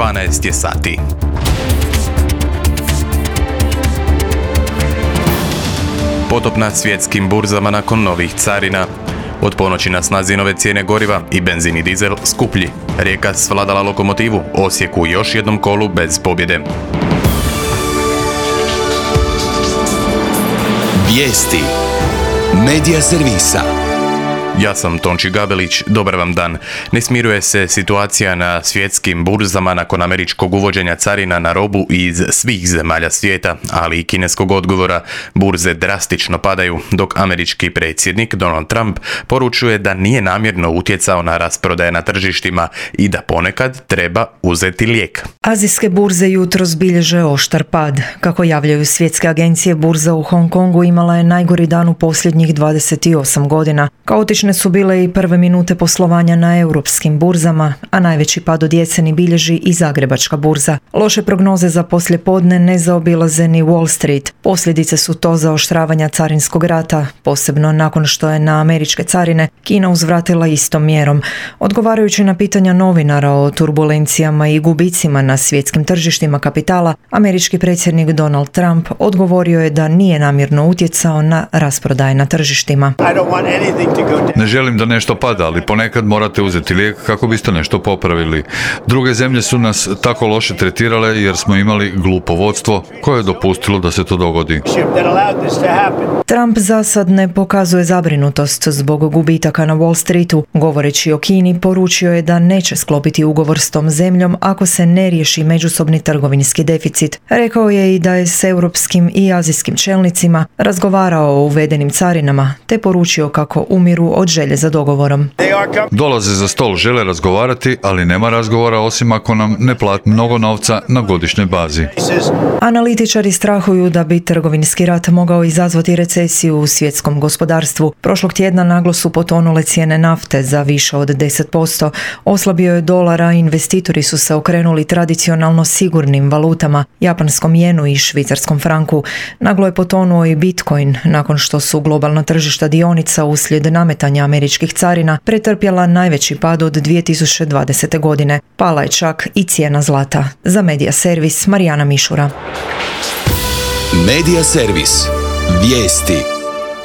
12 je sati. Potop na svjetskim burzama nakon novih carina. Od ponoći na snazi nove cijene goriva i benzin i dizel skuplji. Rijeka svladala lokomotivu, Osijek u još jednom kolu bez pobjede. Vijesti Medija servisa. Ja sam Tonči Gabelić, dobar vam dan. Ne smiruje se situacija na svjetskim burzama nakon američkog uvođenja carina na robu iz svih zemalja svijeta, ali i kineskog odgovora. Burze drastično padaju, dok američki predsjednik Donald Trump poručuje da nije namjerno utjecao na rasprodaje na tržištima i da ponekad treba uzeti lijek. Azijske burze jutros bilježe oštar pad. Kako javljaju svjetske agencije, burza u Hong Kongu imala je najgori dan u posljednjih 28 godina. Kaotične su bile i prve minute poslovanja na europskim burzama, a najveći pad od jeseni bilježi i Zagrebačka burza. Loše prognoze za poslijepodne ne zaobilaze ni Wall Street. Posljedice su to zaoštravanja carinskog rata, posebno nakon što je na američke carine Kina uzvratila istom mjerom. Odgovarajući na pitanja novinara o turbulencijama i gubicima na svjetskim tržištima kapitala, američki predsjednik Donald Trump odgovorio je da nije namjerno utjecao na rasprodaje na tržištima. Ne želim da nešto pada, ali ponekad morate uzeti lijek kako biste nešto popravili. Druge zemlje su nas tako loše tretirale jer smo imali glupo vodstvo koje je dopustilo da se to dogodi. Trump za sad ne pokazuje zabrinutost zbog gubitaka na Wall Streetu. Govoreći o Kini, poručio je da neće sklopiti ugovor s tom zemljom ako se ne riješi međusobni trgovinski deficit. Rekao je i da je s europskim i azijskim čelnicima razgovarao o uvedenim carinama, te poručio kako umiru od želje za dogovorom. Dolaze za stol, žele razgovarati, ali nema razgovora osim ako nam ne plati mnogo novca na godišnjoj bazi. Analitičari strahuju da bi trgovinski rat mogao izazvati recesiju u svjetskom gospodarstvu. Prošlog tjedna naglo su potonule cijene nafte za više od 10%. Oslabio je dolar, a investitori su se okrenuli tradicionalno sigurnim valutama, japanskom jenu i švicarskom franku. Naglo je potonuo i Bitcoin nakon što su globalna tržišta dionica uslijed nametanja američkih carina pretrpjela najveći pad od 2020. godine. Pala je čak i cijena zlata. Za Medija servis Marijana Mišura. Medija servis. Vijesti.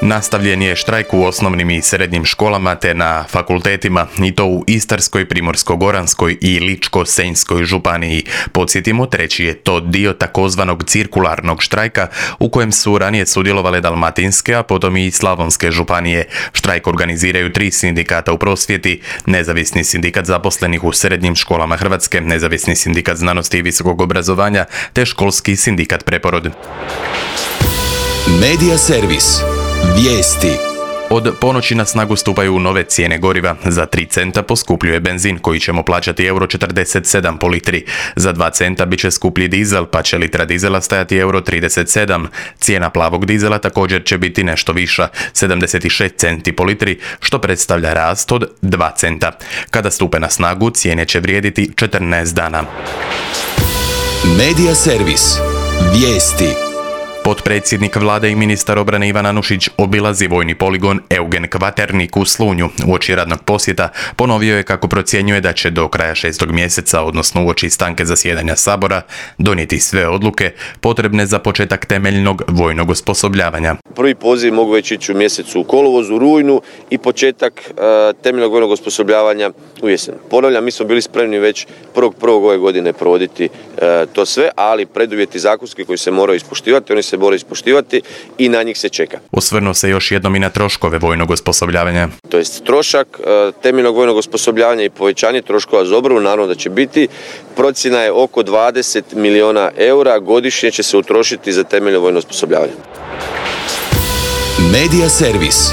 Nastavljen je štrajk u osnovnim i srednjim školama te na fakultetima, i to u Istarskoj, Primorsko-goranskoj i Ličko-senjskoj županiji. Podsjetimo, treći je to dio takozvanog cirkularnog štrajka u kojem su ranije sudjelovale dalmatinske, a potom i slavonske županije. Štrajk organiziraju 3 sindikata u prosvjeti: Nezavisni sindikat zaposlenih u srednjim školama Hrvatske, Nezavisni sindikat znanosti i visokog obrazovanja te Školski sindikat Preporod. Medija servis. Vijesti. Od ponoći na snagu stupaju nove cijene goriva. Za 3 centa poskupljuje benzin koji ćemo plaćati €47 po litri. Za 2 centa bit će skuplji dizel, pa će litra dizela stajati €37. Cijena plavog dizela također će biti nešto viša, 76 centi po litri, što predstavlja rast od 2 centa. Kada stupe na snagu, cijene će vrijediti 14 dana. Medija servis. Vijesti. Potpredsjednik vlade i ministar obrane Ivan Anušić obilazi vojni poligon Eugen Kvaternik u Slunju. Uoči radnog posjeta ponovio je kako procjenjuje da će do kraja 6. mjeseca, odnosno uoči stanke zasjedanja Sabora, donijeti sve odluke potrebne za početak temeljnog vojnog osposobljavanja. Prvi poziv mogu već ići u mjesecu u kolovozu, rujnu i početak temeljnog vojnog osposobljavanja u jesen. Ponavljam, mi smo bili spremni već 1.1. ove godine provoditi to sve, ali preduvjeti zakonski koji se moraju ispoštivati, oni se moraju ispoštivati i na njih se čeka. Osvrnuo se još jednom i na troškove vojnog osposobljavanja. To jest trošak temeljnog vojnog osposobljavanja i povećanje troškova za obranu, naravno da će biti. Procjena je oko 20 milijuna eura godišnje će se utrošiti za temeljno vojno osposobljavanje. Medija servis.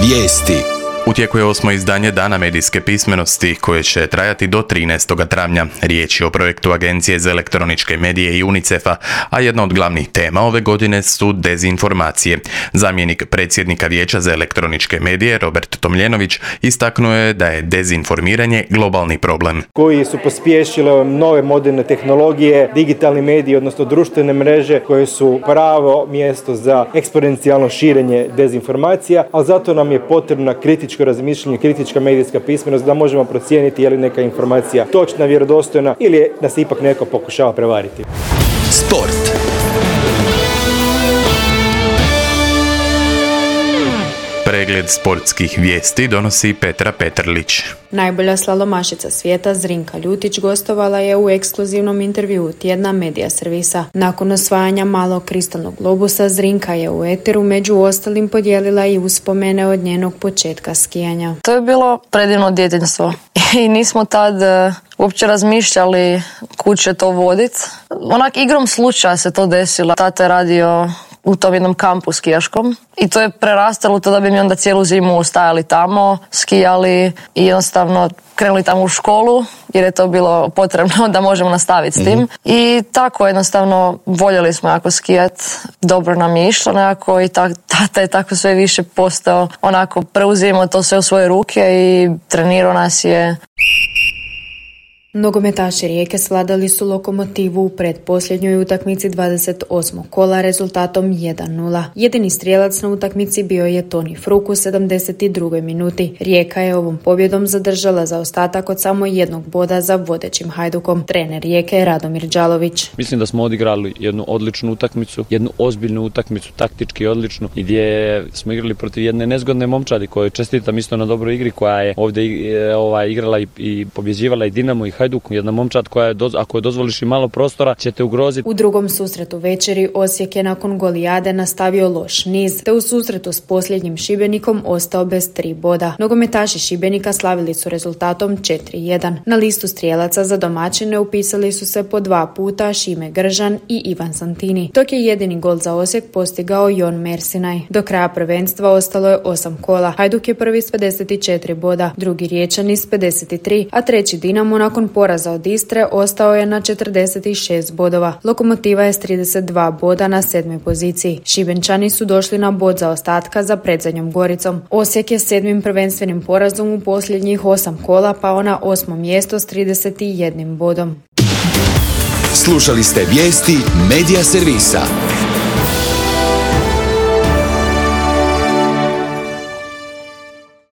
Vijesti. U tijeku je 8. izdanje Dana medijske pismenosti koje će trajati do 13. travnja. Riječ je o projektu Agencije za elektroničke medije i UNICEF-a, a jedna od glavnih tema ove godine su dezinformacije. Zamjenik predsjednika Vijeća za elektroničke medije Robert Tomljenović istaknuo je da je dezinformiranje globalni problem. Koji su pospješile nove moderne tehnologije, digitalni mediji, odnosno društvene mreže koje su pravo mjesto za eksponencijalno širenje dezinformacija, ali zato nam je potrebna kritička kritičko razmišljanje, kritička medijska pismenost, da možemo procijeniti je li neka informacija točna, vjerodostojna ili da se ipak neko pokušava prevariti. Sport. Pregled sportskih vijesti donosi Petra Petrlić. Najbolja slalomašica svijeta Zrinka Ljutić gostovala je u ekskluzivnom intervjuu tjedna Medija servisa. Nakon osvajanja malog kristalnog globusa, Zrinka je u eteru među ostalim podijelila i uspomene od njenog početka skijanja. To je bilo predivno djetinjstvo i nismo tad uopće razmišljali kud će to voditi. Onak igrom slučaja se to desilo. Tata je radio u tom jednom kampu skijaškom i to je prerastalo to da bi mi onda cijelu zimu ostajali tamo, skijali i jednostavno krenuli tamo u školu jer je to bilo potrebno da možemo nastaviti s tim. I tako jednostavno voljeli smo jako skijat, dobro nam je išlo nekako i tata je tako sve više postao, onako preuzimao to sve u svoje ruke i trenirao nas je. Nogometaši Rijeke svladali su Lokomotivu u pretposljednjoj utakmici 28. kola rezultatom 1-0. Jedini strijelac na utakmici bio je Toni Fruk u 72. minuti. Rijeka je ovom pobjedom zadržala zaostatak od samo jednog boda za vodećim Hajdukom. Trener Rijeke je Radomir Đalović. Mislim da smo odigrali jednu odličnu utakmicu, jednu ozbiljnu utakmicu, taktički odličnu, gdje smo igrali protiv jedne nezgodne momčadi koje čestitam isto na dobroj igri, koja je ovdje igrala i pobjeđivala i Dinamo i Hajduk, jedna momčad koja je, ako je dozvoliš i malo prostora, će te ugroziti. U drugom susretu večeri Osijek je nakon golijade nastavio loš niz, te u susretu s posljednjim Šibenikom ostao bez 3 boda. Nogometaši Šibenika slavili su rezultatom 4-1. Na listu strijelaca za domaćine upisali su se po 2 puta Šime Gržan i Ivan Santini, dok je jedini gol za Osijek postigao Jon Mersinaj. Do kraja prvenstva ostalo je 8 kola. Hajduk je prvi s 54 boda, drugi Riječani s 53, a treći Dinamo nakon poraza od Istre ostao je na 46 bodova. Lokomotiva je s 32 boda na 7. poziciji. Šibenčani su došli na bod zaostatka za predzadnjom Goricom. Osijek je 7. prvenstvenim porazom u posljednjih 8 kola pao na 8. mjesto s 31 bodom. Slušali ste vijesti Medija servisa.